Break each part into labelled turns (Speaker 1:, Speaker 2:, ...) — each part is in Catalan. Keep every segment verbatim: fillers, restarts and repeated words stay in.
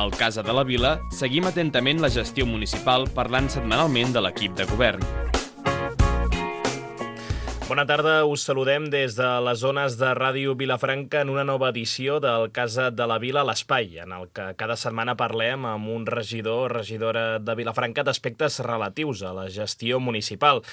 Speaker 1: Al Casa de la Vila seguim atentament la gestió municipal parlant setmanalment de l'equip de govern.
Speaker 2: Bona tarda, us saludem des de les zones de Ràdio Vilafranca en una nova edició del Casa de la Vila, l'Espai, en el que cada setmana parlem amb un regidor o regidora de Vilafranca d'aspectes relatius a la gestió municipal.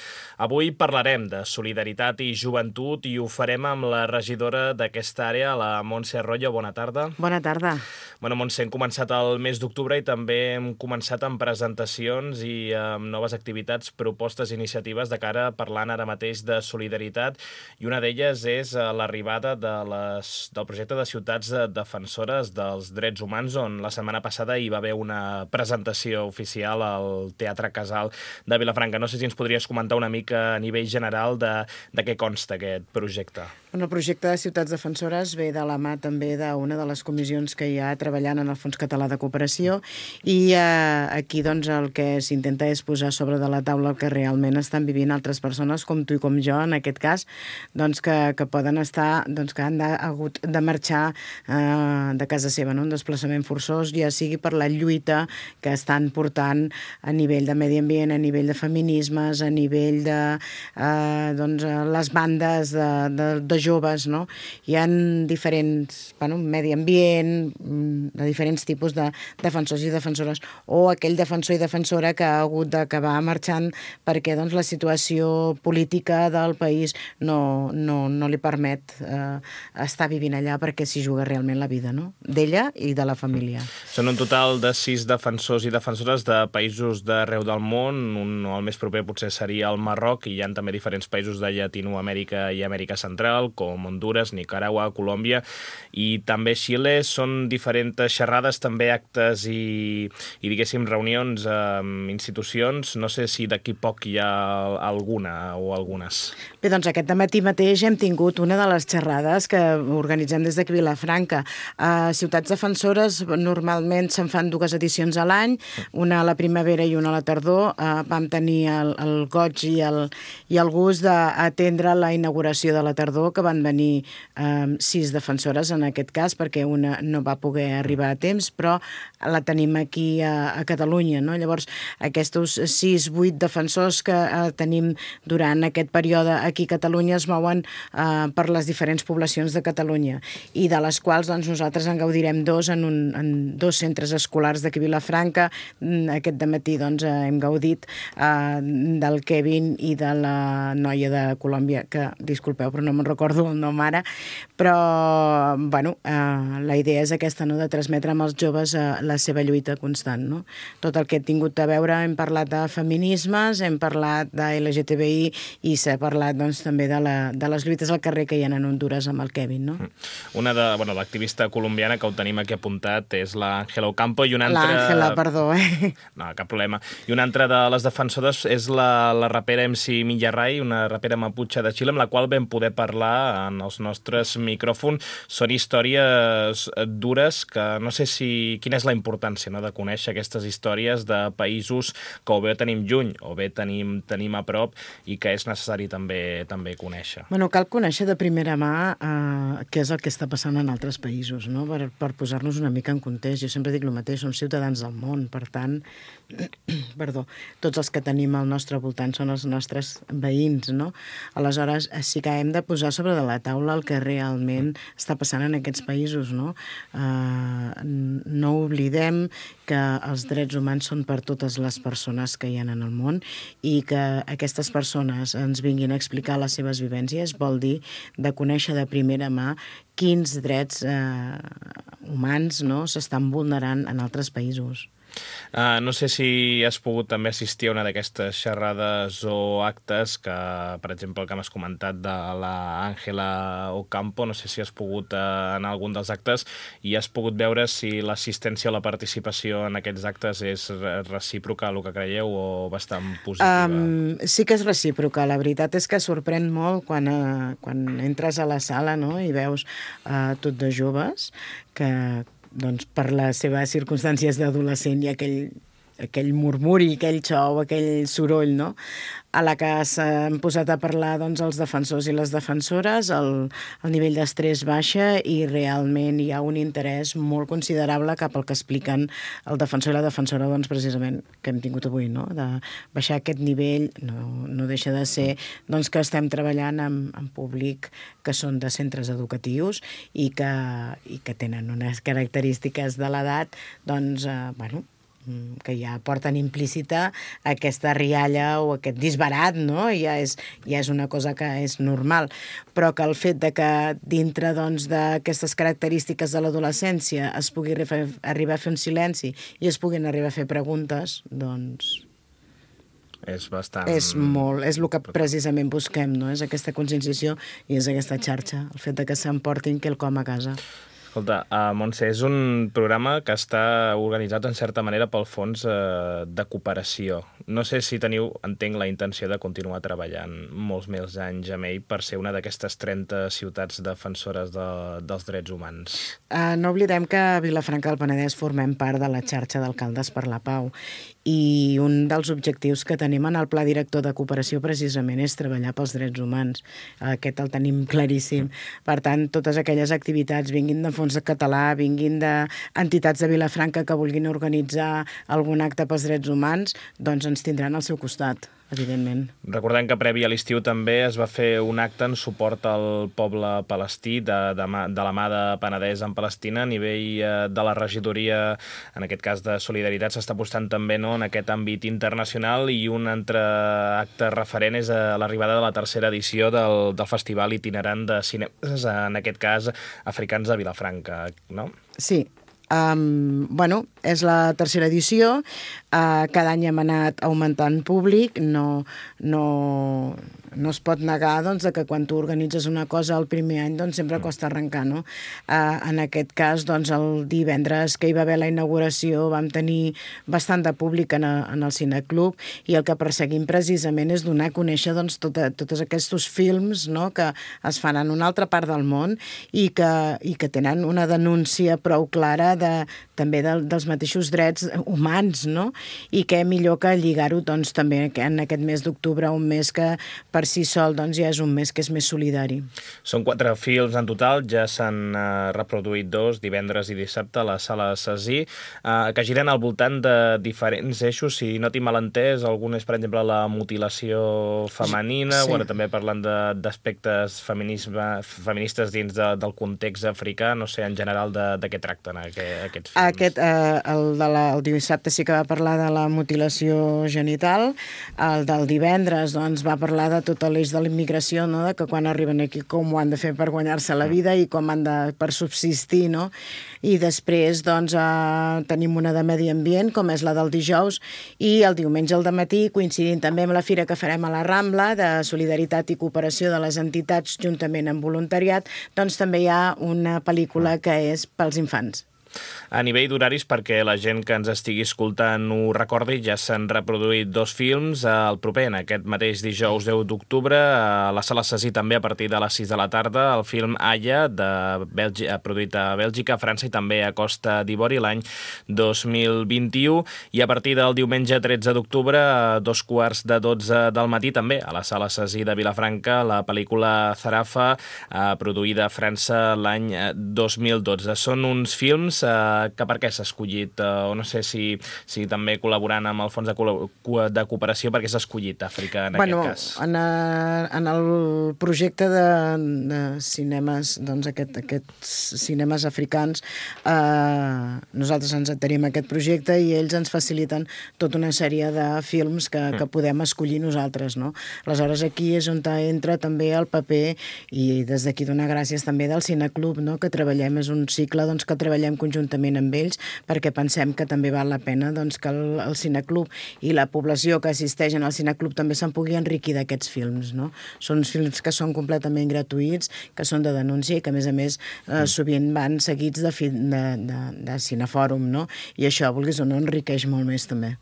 Speaker 2: Avui parlarem de solidaritat i joventut i ho farem amb la regidora d'aquesta àrea, la Montse Arroyo. Bona tarda.
Speaker 3: Bona tarda.
Speaker 2: Bueno, Montse, hem començat el mes d'octubre i també hem començat amb presentacions i amb noves activitats, propostes i iniciatives de cara parlant ara mateix de solidaritat i una d'elles és l'arribada de les, del projecte de ciutats defensores dels drets humans, on la setmana passada hi va haver una presentació oficial al Teatre Casal de Vilafranca. No sé si ens podries comentar una mica a nivell general de, de què consta aquest projecte.
Speaker 3: El projecte de ciutats defensores ve de la mà també d'una de les comissions que hi ha treballant en el Fons Català de Cooperació i eh, aquí doncs, el que s'intenta és posar sobre de la taula el que realment estan vivint altres persones com tu i com jo, en aquest cas, doncs, que, que poden estar, doncs, que han de, hagut de marxar eh, de casa seva, no? Un desplaçament forçós, ja sigui per la lluita que estan portant a nivell de medi ambient, a nivell de feminismes, a nivell de eh, doncs, les bandes de, de, de joves, no? Hi ha diferents, bueno, medi ambient, de diferents tipus de defensors i defensores, o aquell defensor i defensora que ha hagut d'acabar marxant perquè doncs, la situació política del país no, no, no li permet eh, estar vivint allà perquè s'hi juga realment la vida, no? D'ella i de la família.
Speaker 2: Són un total de sis defensors i defensores de països d'arreu del món. Un, el més proper potser seria el Marroc, i hi ha també diferents països de Llatinoamèrica i Amèrica Central, com Honduras, Nicaragua, Colòmbia i també Xile. Són diferents xerrades, també actes i, i diguéssim, reunions amb institucions. No sé si d'aquí poc hi ha alguna o algunes.
Speaker 3: Bé, doncs aquest matí mateix hem tingut una de les xerrades que organitzem des d'aquí Vilafranca. A Ciutats Defensores normalment se'n fan dues edicions a l'any, una a la primavera i una a la tardor. Uh, vam tenir el, el goig i el, i el gust d'atendre la inauguració de la tardor, que van venir um, sis defensores en aquest cas, perquè una no va poder arribar a temps, però la tenim aquí a, a Catalunya, no? Llavors, aquests sis, vuit defensors que uh, tenim durant aquest període aquí a Catalunya es mouen uh, per les diferents poblacions de Catalunya, i de les quals doncs, nosaltres en gaudirem dos en, un, en dos centres escolars d'aquí a Vilafranca. Aquest dematí doncs, hem gaudit uh, del Kevin i de la noia de Colòmbia, que, disculpeu, però no me'n recordo el nom ara, però bueno, eh, la idea és aquesta, no?, de transmetre amb els joves eh, la seva lluita constant, no? Tot el que he tingut a veure, hem parlat de feminismes, hem parlat de L G T B I i s'ha parlat doncs, també de, la, de les lluites al carrer que hi ha en Honduras amb el Kevin, no?
Speaker 2: Una de, bueno, l'activista colombiana que ho tenim aquí apuntat és l'Àngela Ocampo, i una altra...
Speaker 3: L'Àngela, perdó, eh?
Speaker 2: No, cap problema. I una altra de les defensores és la, la rapera M C Millarray, una rapera maputxa de Xile, amb la qual vam poder parlar en els nostres micròfons. Són històries dures que no sé si... Quina és la importància, no?, de conèixer aquestes històries de països que o bé tenim lluny o bé tenim, tenim a prop i que és necessari també, també conèixer.
Speaker 3: Bueno, cal conèixer de primera mà eh, què és el que està passant en altres països, no?, per, per posar-nos una mica en context. Jo sempre dic el mateix, som ciutadans del món, per tant, perdó, tots els que tenim al nostre voltant són els nostres veïns, no? Aleshores, sí que hem de posar sobre de la taula el que realment està passant en aquests països, no? Uh, no oblidem que els drets humans són per totes les persones que hi ha en el món, i que aquestes persones ens vinguin a explicar les seves vivències vol dir de conèixer de primera mà quins drets eh, humans, no?, s'estan vulnerant en altres països.
Speaker 2: Uh, no sé si has pogut també assistir a una d'aquestes xerrades o actes que, per exemple, el que m'has comentat de l'Àngela Ocampo, no sé si has pogut uh, anar a algun dels actes i has pogut veure si l'assistència o la participació en aquests actes és recíproca, el que creieu, o bastant positiva?
Speaker 3: Um, sí que és recíproca. La veritat és que sorprèn molt quan, uh, quan entres a la sala, no?, i veus uh, tot de joves que, doncs, per les seves circumstàncies d'adolescent i aquell aquell murmuri, aquell xou, aquell soroll, no? A la que s'han posat a parlar doncs, els defensors i les defensores, el, el nivell d'estrès baixa i realment hi ha un interès molt considerable cap al que expliquen el defensor i la defensora, doncs, precisament, que hem tingut avui, no? De baixar aquest nivell, no, no deixa de ser doncs, que estem treballant amb, amb públic que són de centres educatius i que, i que tenen unes característiques de l'edat, doncs, eh, bueno, que ja porten implícita aquesta rialla o aquest disbarat, no? Ja és, ja és una cosa que és normal, però que el fet de que dintre doncs, d'aquestes característiques de l'adolescència es pugui arribar a fer un silenci i es puguin arribar a fer preguntes, doncs...
Speaker 2: És bastant...
Speaker 3: És molt, és el que precisament busquem, no? És aquesta conscienciació i és aquesta xarxa, el fet de que s'emportin quelcom a casa.
Speaker 2: Escolta, uh, Montse, és un programa que està organitzat en certa manera pel Fons uh, de Cooperació. No sé si teniu, entenc, la intenció de continuar treballant molts més anys amb ell per ser una d'aquestes trenta ciutats defensores de, dels drets humans.
Speaker 3: Uh, no oblidem que a Vilafranca del Penedès formem part de la xarxa d'alcaldes per la pau i un dels objectius que tenim en el Pla Director de Cooperació precisament és treballar pels drets humans. Aquest el tenim claríssim. Per tant, totes aquelles activitats, vinguin de Fons de Català, vinguin d'entitats de Vilafranca que vulguin organitzar algun acte pels drets humans, doncs ens tindran al seu costat, evidentment.
Speaker 2: Recordem que previ a l'estiu també es va fer un acte en suport al poble palestí de, de, de la mà de Penedès en Palestina a nivell de la regidoria, en aquest cas de Solidaritat, s'està apostant també, no, en aquest àmbit internacional, i un altre acte referent és l'arribada de la tercera edició del, del Festival Itinerant de Cinemes, en aquest cas africans de Vilafranca, no?
Speaker 3: Sí. Um, bueno, és la tercera edició, uh, cada any hem anat augmentant públic, no, no, no es pot negar doncs, que quan tu organitzes una cosa el primer any doncs, sempre costa arrencar, no? Uh, en aquest cas, doncs, el divendres que hi va haver la inauguració vam tenir bastant de públic en, a, en el Cineclub i el que perseguim precisament és donar a conèixer doncs, tota, tots aquests films, no?, que es fan en una altra part del món i que, i que tenen una denúncia prou clara de, també de, dels mateixos drets humans, no? I què millor que lligar-ho doncs, també en aquest mes d'octubre, un mes que per si sol doncs, ja és un mes que és més solidari.
Speaker 2: Són quatre films en total, ja s'han uh, reproduït dos, divendres i dissabte, a la Sala Cesí, uh, que giren al voltant de diferents eixos. Si no tinc mal entès, algun és, per exemple, la mutilació femenina, sí. Bueno, també parlant d'aspectes feministes dins de, del context africà, no sé, en general, de, de què tracten aquest, aquests films.
Speaker 3: Aquest, eh, el, de la, el dissabte sí que va parlar de la mutilació genital, el del divendres doncs, va parlar de tot l'eix de la immigració, no?, de que quan arriben aquí com ho han de fer per guanyar-se la vida i com han de per subsistir, no? I després doncs, eh, tenim una de medi ambient, com és la del dijous, i el diumenge al dematí, coincidint també amb la fira que farem a la Rambla, de solidaritat i cooperació de les entitats juntament amb voluntariat, doncs també hi ha una pel·lícula que és pels infants.
Speaker 2: A nivell d'horaris, perquè la gent que ens estigui escoltant ho recordi, ja s'han reproduït dos films. El proper, en aquest mateix dijous deu d'octubre, a la Sala Cesí també a partir de les sis de la tarda, el film Aya, de Bèlgica, produït a Bèlgica, França i també a Costa d'Ivori l'any dos mil vint-i-u. I a partir del diumenge tretze d'octubre, a dos quarts de dotze del matí, també a la Sala Cesí de Vilafranca, la pel·lícula Zarafa, produïda a França l'any dos mil dotze. Són uns films que per què s'ha escollit, o no sé si, si també col·laborant amb el Fons de, de Cooperació, perquè s'ha escollit Àfrica en
Speaker 3: bueno,
Speaker 2: aquest cas?
Speaker 3: En, a, en el projecte de, de cinemes, doncs aquest, aquests cinemes africans, eh, nosaltres ens adherim a aquest projecte i ells ens faciliten tota una sèrie de films que, que podem escollir nosaltres, no? Aleshores, aquí és on entra també el paper, i des d'aquí donar gràcies també del Cineclub, no?, que treballem, és un cicle doncs, que treballem conjuntament amb ells, perquè pensem que també val la pena doncs, que el, el Cineclub i la població que assisteix en el Cineclub també se'n pugui enriquir d'aquests films, no? Són films que són completament gratuïts, que són de denúncia i que, a més a més, eh, sovint van seguits de, de, de, de cinefòrum, no? I això, vulguis o no, enriqueix molt més també.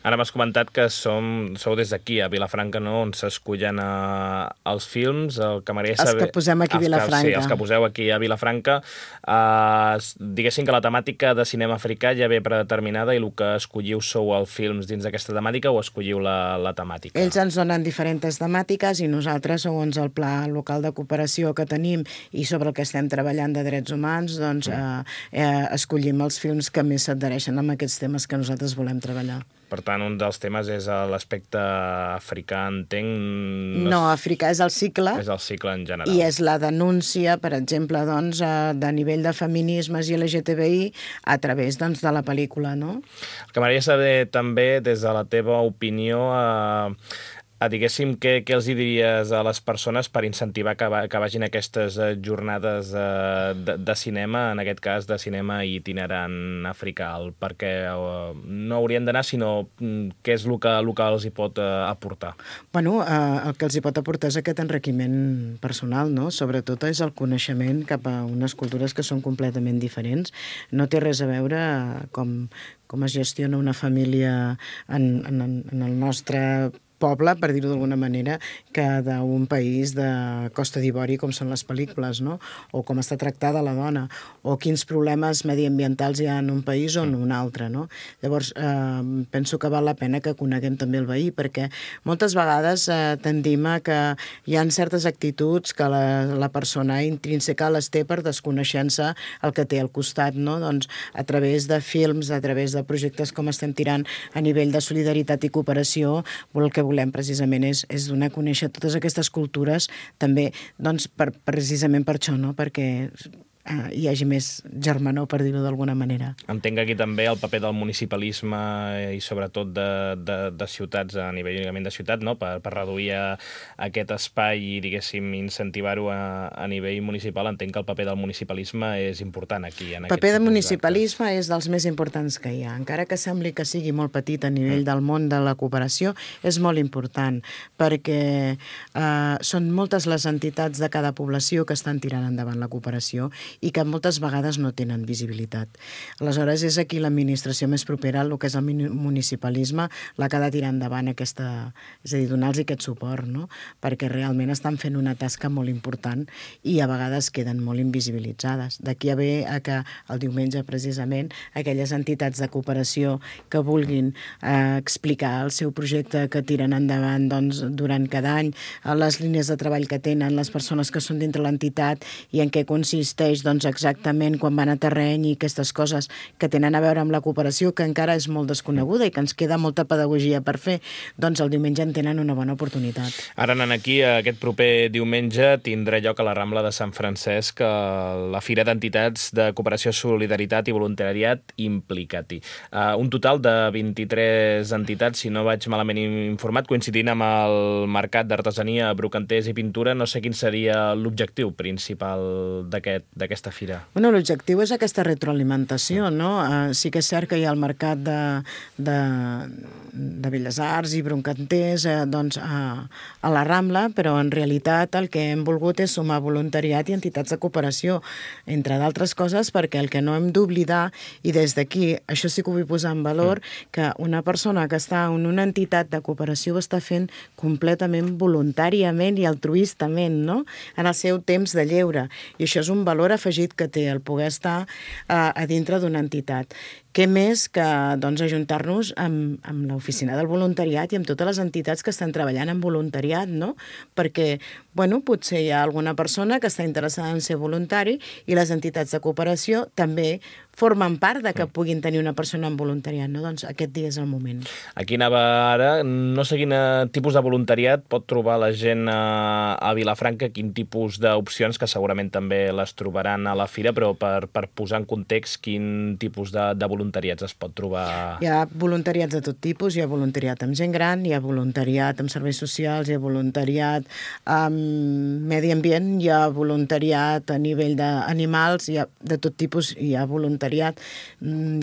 Speaker 2: Ara m'has comentat que som, sou des d'aquí, a Vilafranca, no?, on s'escullen uh, els films. El que m'agradaria saber...
Speaker 3: Els que posem aquí a Vilafranca.
Speaker 2: Que, sí, els que poseu aquí a Vilafranca. Uh, diguéssim que la temàtica de cinema africà ja ve predeterminada i el que escolliu sou els films dins d'aquesta temàtica o escolliu la, la temàtica?
Speaker 3: Ells ens donen diferents temàtiques i nosaltres, segons el pla local de cooperació que tenim i sobre el que estem treballant de drets humans, doncs mm. eh, eh, escollim els films que més s'adhereixen amb aquests temes que nosaltres volem treballar.
Speaker 2: Per tant, un dels temes és l'aspecte africà, entenc...
Speaker 3: No, africà és el cicle.
Speaker 2: És el cicle en general.
Speaker 3: I és la denúncia, per exemple, doncs, de nivell de feminismes i L G T B I a través doncs, de la pel·lícula, no?
Speaker 2: El que m'agradaria saber també, des de la teva opinió, eh, a, diguéssim, què, què els diries a les persones per incentivar que, va, que vagin a aquestes jornades eh, de, de cinema, en aquest cas de cinema itinerant africà, perquè eh, no haurien d'anar, sinó què és el que, el que els hi pot eh, aportar?
Speaker 3: Bueno, eh, el que els hi pot aportar és aquest enriquiment personal, no? Sobretot és el coneixement cap a unes cultures que són completament diferents. No té res a veure com, com es gestiona una família en, en, en el nostre poble, per dir-ho d'alguna manera, que d'un país de Costa d'Ivori, com són les pel·lícules, no? O com està tractada la dona, o quins problemes mediambientals hi ha en un país o en un altre, no? Llavors, eh, penso que val la pena que coneguem també el veí, perquè moltes vegades eh, tendim a que hi ha certes actituds que la, la persona intrínseca les té per desconeixent-se el que té al costat, no? Doncs a través de films, a través de projectes com estem tirant a nivell de solidaritat i cooperació, el que volem precisament és, és donar a conèixer totes aquestes cultures també, doncs, per, precisament per això, no? Perquè eh, hi hagi més germanor, per dir-ho d'alguna manera.
Speaker 2: Entenc aquí també el paper del municipalisme i sobretot de, de, de ciutats, a nivell únicament de ciutat, no? per, per reduir a, a aquest espai i, diguéssim, incentivar-ho a, a nivell municipal. Entenc que el paper del municipalisme és important aquí. En
Speaker 3: el paper del municipalisme és dels més importants que hi ha. Encara que sembli que sigui molt petit a nivell mm. del món de la cooperació, és molt important, perquè eh, són moltes les entitats de cada població que estan tirant endavant la cooperació i que moltes vegades no tenen visibilitat. Aleshores, és aquí l'administració més propera, el que és el municipalisme, la que ha de tirar endavant aquesta... És a dir, donar-los aquest suport, no? Perquè realment estan fent una tasca molt important i a vegades queden molt invisibilitzades. D'aquí a ve a que el diumenge, precisament, aquelles entitats de cooperació que vulguin eh, explicar el seu projecte que tiren endavant doncs, durant cada any, les línies de treball que tenen, les persones que són dintre l'entitat i en què consisteix doncs, exactament quan van a terreny i aquestes coses que tenen a veure amb la cooperació, que encara és molt desconeguda i que ens queda molta pedagogia per fer, doncs el diumenge en tenen una bona oportunitat.
Speaker 2: Ara anant aquí, aquest proper diumenge tindrà lloc a la Rambla de Sant Francesc la Fira d'Entitats de Cooperació, Solidaritat i Voluntariat Implicati. Uh, un total de vint-i-tres entitats, si no vaig malament informat, coincidint amb el Mercat d'Artesania, Brocanters i Pintura. No sé quin seria l'objectiu principal d'aquest d'aquesta fira.
Speaker 3: Bueno, l'objectiu és aquesta retroalimentació, no? Uh, sí que és cert que hi ha el mercat de, de, de Belles Arts i Brocanters eh, doncs, a, a la Rambla, però en realitat el que hem volgut és sumar voluntariat i entitats de cooperació, entre d'altres coses, perquè el que no hem d'oblidar, i des d'aquí, això sí que ho vull posar en valor, mm. que una persona que està en una entitat de cooperació ho està fent completament voluntàriament i altruistament, no? En el seu temps de lleure. I això és un valor afegit que té el poder estar eh, a dintre d'una entitat. Què més que doncs, ajuntar-nos amb, amb l'oficina del voluntariat i amb totes les entitats que estan treballant en voluntariat, no? Perquè, bueno, potser hi ha alguna persona que està interessada en ser voluntari i les entitats de cooperació també formen part de que puguin tenir una persona en voluntariat, no? Doncs aquest dia és el moment.
Speaker 2: Aquí anava ara, no sé quin tipus de voluntariat pot trobar la gent a, a Vilafranca, quin tipus d'opcions, que segurament també les trobaran a la fira, però per, per posar en context quin tipus de, de voluntariats es pot trobar?
Speaker 3: Hi ha voluntariats de tot tipus, hi ha voluntariat amb gent gran, hi ha voluntariat amb serveis socials, hi ha voluntariat amb medi ambient, hi ha voluntariat a nivell d'animals, hi ha de tot tipus, hi ha voluntariat voluntariat.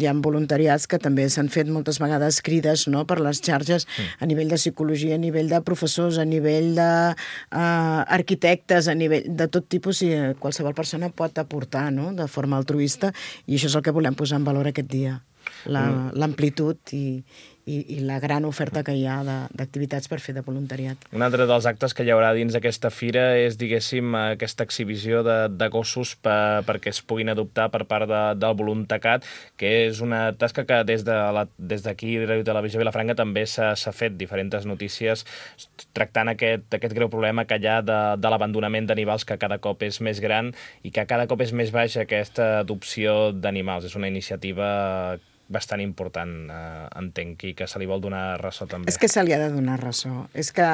Speaker 3: Hi ha voluntariats que també s'han fet moltes vegades crides, no?, per les xarxes mm. a nivell de psicologia, a nivell de professors, a nivell d'arquitectes, uh, a nivell de tot tipus, i qualsevol persona pot aportar, no?, de forma altruista, i això és el que volem posar en valor aquest dia. L'amplitud i, i, i la gran oferta que hi ha d'activitats per fer de voluntariat.
Speaker 2: Un altre dels actes que hi haurà dins d'aquesta fira és, diguéssim, aquesta exhibició de, de gossos per, perquè es puguin adoptar per part de, del Voluntacat, que és una tasca que des de la, des d'aquí, Ràdio Televisió Vilafranca, també s'ha fet diferents notícies tractant aquest, aquest greu problema que hi ha de, de l'abandonament d'animals, que cada cop és més gran i que cada cop és més baixa aquesta adopció d'animals. És una iniciativa bastant important, eh, entenc, i que se li vol donar ressò també.
Speaker 3: És que se li ha de donar ressò. És que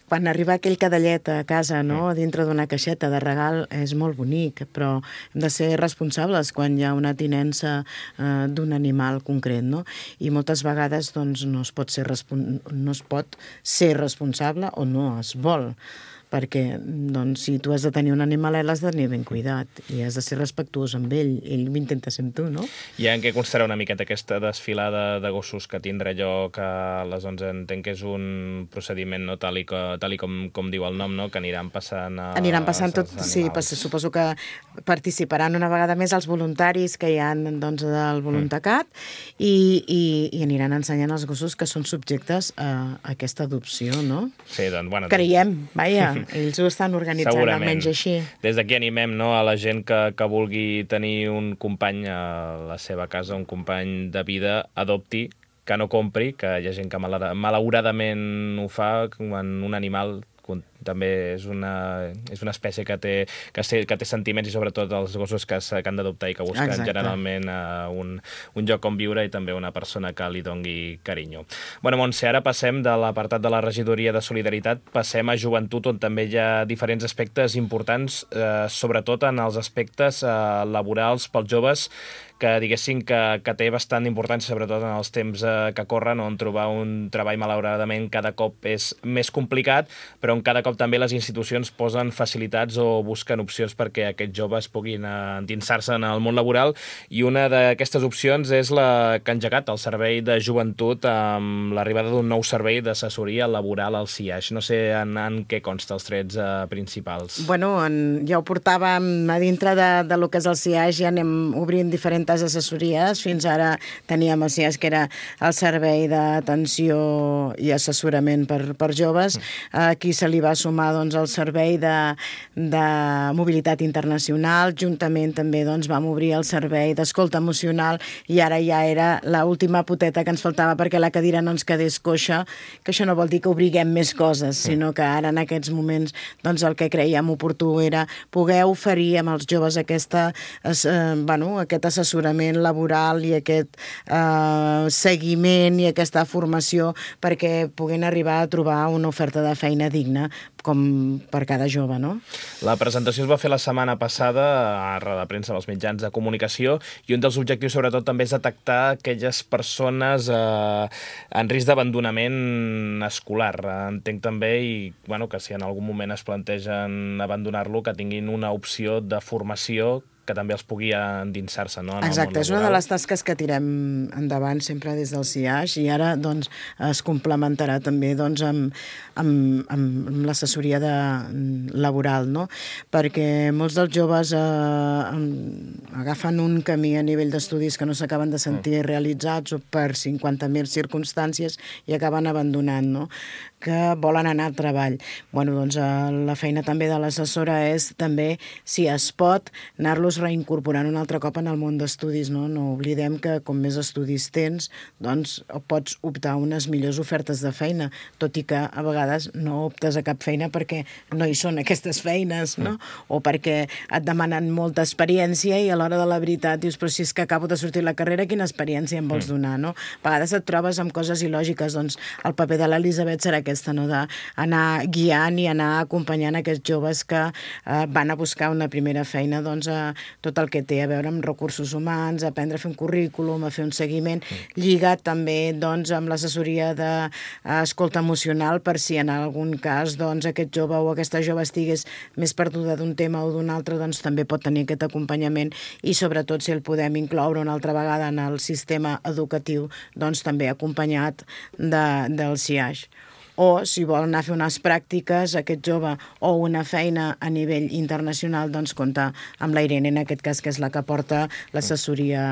Speaker 3: quan arriba aquell cadellet a casa, no?, dintre d'una caixeta de regal, és molt bonic, però hem de ser responsables quan hi ha una tinença eh, d'un animal concret, no? I moltes vegades doncs, no es pot ser respon- no es pot ser responsable o no es vol, perquè doncs, si tu has de tenir un animalet l'has de tenir ben cuidat i has de ser respectuós amb ell, ell intenta ser amb tu, no?
Speaker 2: I en què constarà una miqueta aquesta desfilada de gossos que tindrà lloc a les onze? Entenc que és un procediment, no, tal i, co, tal i com, com diu el nom, no?, que aniran passant a,
Speaker 3: Aniran passant tot, sí, pass, suposo que participaran una vegada més els voluntaris que hi ha doncs, del Voluntacat mm. i, i, i aniran ensenyant els gossos que són subjectes a, a aquesta adopció, no?
Speaker 2: Sí, doncs, bueno...
Speaker 3: Creiem, vaja, ells ho estan organitzant,
Speaker 2: segurament.
Speaker 3: Almenys així.
Speaker 2: Des d'aquí animem, no, a la gent que, que vulgui tenir un company a la seva casa, un company de vida, adopti, que no compri, que hi ha gent que malauradament ho fa quan un animal també és una, és una espècie que té, que, sé, que té sentiments, i sobretot els gossos que, que han d'adoptar i que busquen Exacte. generalment uh, un, un lloc on viure i també una persona que li dongui carinyo. Bueno, Montse, ara passem de l'apartat de la regidoria de solidaritat, passem a joventut, on també hi ha diferents aspectes importants, eh, sobretot en els aspectes eh, laborals pels joves, que diguéssim que, que té bastant importància, sobretot en els temps eh, que corren, on trobar un treball malauradament cada cop és més complicat, però on cada cop també les institucions posen facilitats o busquen opcions perquè aquests joves puguin endinsar-se en el món laboral, i una d'aquestes opcions és la que ha engegat el Servei de Joventut amb l'arribada d'un nou servei d'assessoria laboral al C I A X. No sé en, en què consta els trets eh, principals.
Speaker 3: Bueno, en, ja ho portàvem a dintre de, de lo que és el C I A X, ja anem obrint diferents assessories. Fins ara teníem el C I A X, que era el Servei d'Atenció i Assessorament per, per Joves. Aquí se li va sumar doncs, el Servei de, de Mobilitat Internacional. Juntament també doncs, vam obrir el Servei d'Escolta Emocional, i ara ja era l'última poteta que ens faltava perquè la cadira no ens quedés coixa, que això no vol dir que obriguem més coses, sinó que ara en aquests moments doncs, el que creiem oportú era poder oferir amb els joves aquesta, eh, bueno, aquest assessorament laboral i aquest eh, seguiment i aquesta formació perquè puguin arribar a trobar una oferta de feina digna com per cada jove, no?
Speaker 2: La presentació es va fer la setmana passada a roda de premsa als mitjans de comunicació, i un dels objectius sobretot també és detectar aquelles persones eh, en risc d'abandonament escolar. Entenc també, i bueno, que si en algun moment es plantegen abandonar-lo, que tinguin una opció de formació que també els pugui endinsar-se, no, en el
Speaker 3: Exacte,
Speaker 2: món
Speaker 3: és una de les tasques que tirem endavant sempre des del C I A X, i ara doncs, es complementarà també doncs, amb, amb, amb l'assessoria de, laboral, no? Perquè molts dels joves eh, agafen un camí a nivell d'estudis que no s'acaben de sentir realitzats o per cinquanta mil circumstàncies i acaben abandonant, no? Que volen anar al treball. Bueno, doncs eh, la feina també de l'assessora és també, si es pot, anar-los reincorporant un altre cop en el món d'estudis, no? No oblidem que com més estudis tens, doncs pots optar a unes millors ofertes de feina, tot i que a vegades no optes a cap feina perquè no hi són aquestes feines, no? O perquè et demanen molta experiència i a l'hora de la veritat dius, però si és que acabo de sortir la carrera, quina experiència em vols donar, no? A vegades et trobes amb coses il·lògiques, doncs el paper de l'Elisabet serà aquesta, no? D'anar guiant i anar acompanyant aquests joves que eh, van a buscar una primera feina, doncs a tot el que té a veure amb recursos humans, aprendre a fer un currículum, a fer un seguiment, lligat també doncs, amb l'assessoria d'escolta emocional, per si en algun cas doncs, aquest jove o aquesta jove estigués més perduda d'un tema o d'un altre, doncs també pot tenir aquest acompanyament, i sobretot si el podem incloure una altra vegada en el sistema educatiu, doncs també acompanyat de, del C I A X. O, si vol anar a fer unes pràctiques, aquest jove, o una feina a nivell internacional, doncs compta amb la Irene, en aquest cas, que és la que porta l'assessoria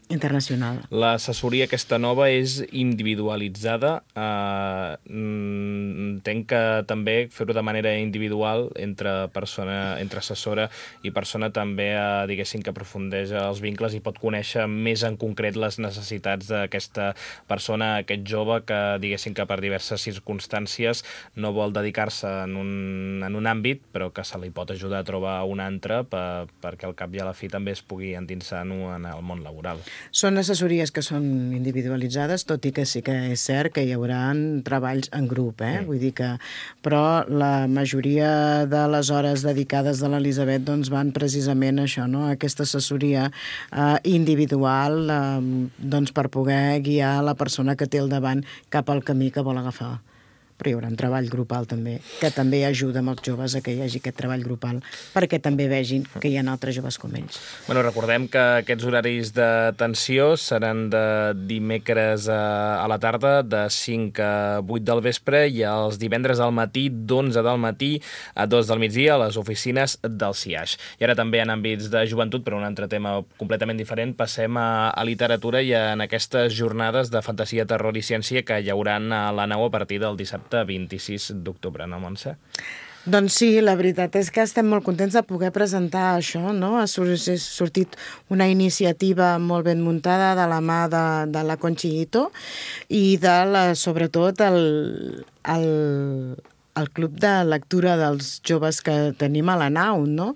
Speaker 3: internacional.
Speaker 2: L'assessoria aquesta nova és individualitzada. Uh, entenc que també fer-ho de manera individual entre persona, entre assessora i persona també, uh, diguéssim, que aprofundeix els vincles i pot conèixer més en concret les necessitats d'aquesta persona, aquest jove que, diguéssim, que per diverses circumstàncies no vol dedicar-se en un, en un àmbit, però que se li pot ajudar a trobar un altre per, perquè al cap i a la fi també es pugui endinsar en el món laboral.
Speaker 3: Són assessories que són individualitzades, tot i que sí que és cert que hi haurà treballs en grup, eh? Mm. Vull dir que... Però la majoria de les hores dedicades de l'Elisabet doncs, van precisament a això, no? Aquesta assessoria eh, individual eh, doncs, per poder guiar la persona que té al davant cap al camí que vol agafar. Però hi haurà un treball grupal també, que també ajuda amb els joves a que hi hagi aquest treball grupal, perquè també vegin que hi ha altres joves com ells.
Speaker 2: Bueno, recordem que aquests horaris d'atenció seran de dimecres a, a la tarda, de cinc a vuit del vespre, i els divendres al matí, d'onze del matí a dos del migdia, a les oficines del C I A X. I ara també en àmbits de joventut, però un altre tema completament diferent, passem a, a literatura i en aquestes jornades de fantasia, terror i ciència que hi hauran a la nau a partir del dissabte vint-i-sis d'octubre, no, Montse?
Speaker 3: Doncs sí, la veritat és que estem molt contents de poder presentar això, no? Ha sortit una iniciativa molt ben muntada de la mà de, de la Conchito i de, la, sobretot, el, el, el club de lectura dels joves que tenim a la nau, no?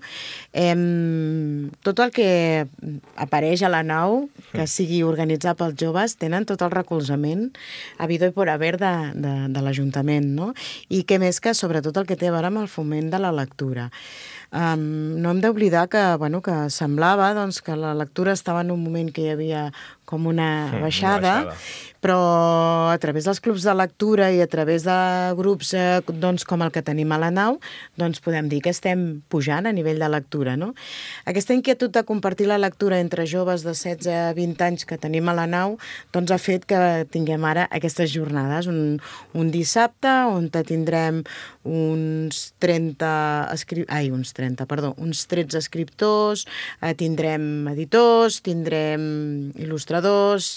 Speaker 3: Em, tot el que apareix a la nau, que sigui organitzat pels joves, tenen tot el recolzament habido i por haver de, de, de l'Ajuntament, no? I què més que, sobretot, el que té a veure amb el foment de la lectura. Um, no hem d'oblidar que, bueno, que semblava doncs, que la lectura estava en un moment que hi havia com una baixada, una baixada. Però a través dels clubs de lectura i a través de grups eh, doncs, com el que tenim a la nau, doncs podem dir que estem pujant a nivell de lectura, no? Aquesta inquietud de compartir la lectura entre joves de setze a vint anys que tenim a la nau doncs ha fet que tinguem ara aquestes jornades, un, un dissabte on tindrem uns trenta escri... ai, uns trenta, perdó, uns tretze escriptors, eh, tindrem editors, tindrem il·lustradors,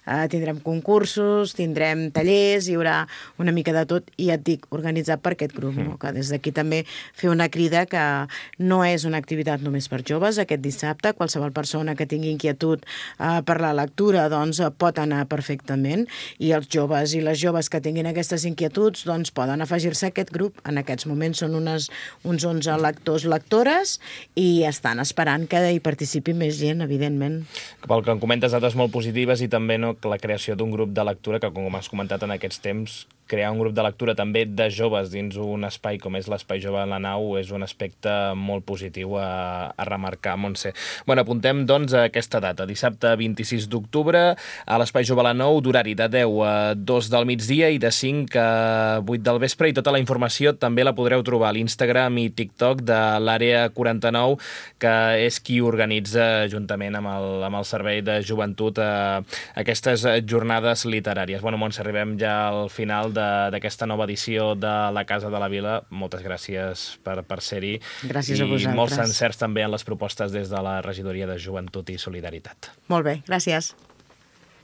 Speaker 3: eh, tindrem concursos, tindrem tallers, hi haurà una mica de tot, i ja et dic, organitzat per aquest grup, no? Que des d'aquí també fer una crida que no és una activitat només per joves, aquest dissabte, qualsevol persona que tingui inquietud eh, per la lectura, doncs pot anar perfectament, i els joves i les joves que tinguin aquestes inquietuds, doncs poden afegir-se a aquest grup. En aquests moments són unes, uns onze lectors, lectores, i estan esperant que hi participi més gent, evidentment.
Speaker 2: Pel que em comentes, dades molt positives, i també no, la creació d'un grup de lectura que, com has comentat en aquests temps, crear un grup de lectura també de joves dins un espai com és l'Espai Jove en la Nau és un aspecte molt positiu a, a remarcar, Montse. Bueno, apuntem, doncs, a aquesta data, dissabte vint-i-sis d'octubre, a l'Espai Jove a la Nau, d'horari de deu a dos del migdia i de cinc a vuit del vespre, i tota la informació també la podreu trobar a l'Instagram i TikTok de l'Àrea quaranta-nou, que és qui organitza, juntament amb el, amb el Servei de Joventut, a, aquestes jornades literàries. Bueno, Montse, arribem ja al final d'aquesta nova edició de la Casa de la Vila. Moltes gràcies per, per ser-hi.
Speaker 3: Gràcies a vosaltres.
Speaker 2: I molts encerts també en les propostes des de la Regidoria de Joventut i Solidaritat.
Speaker 3: Molt bé, gràcies.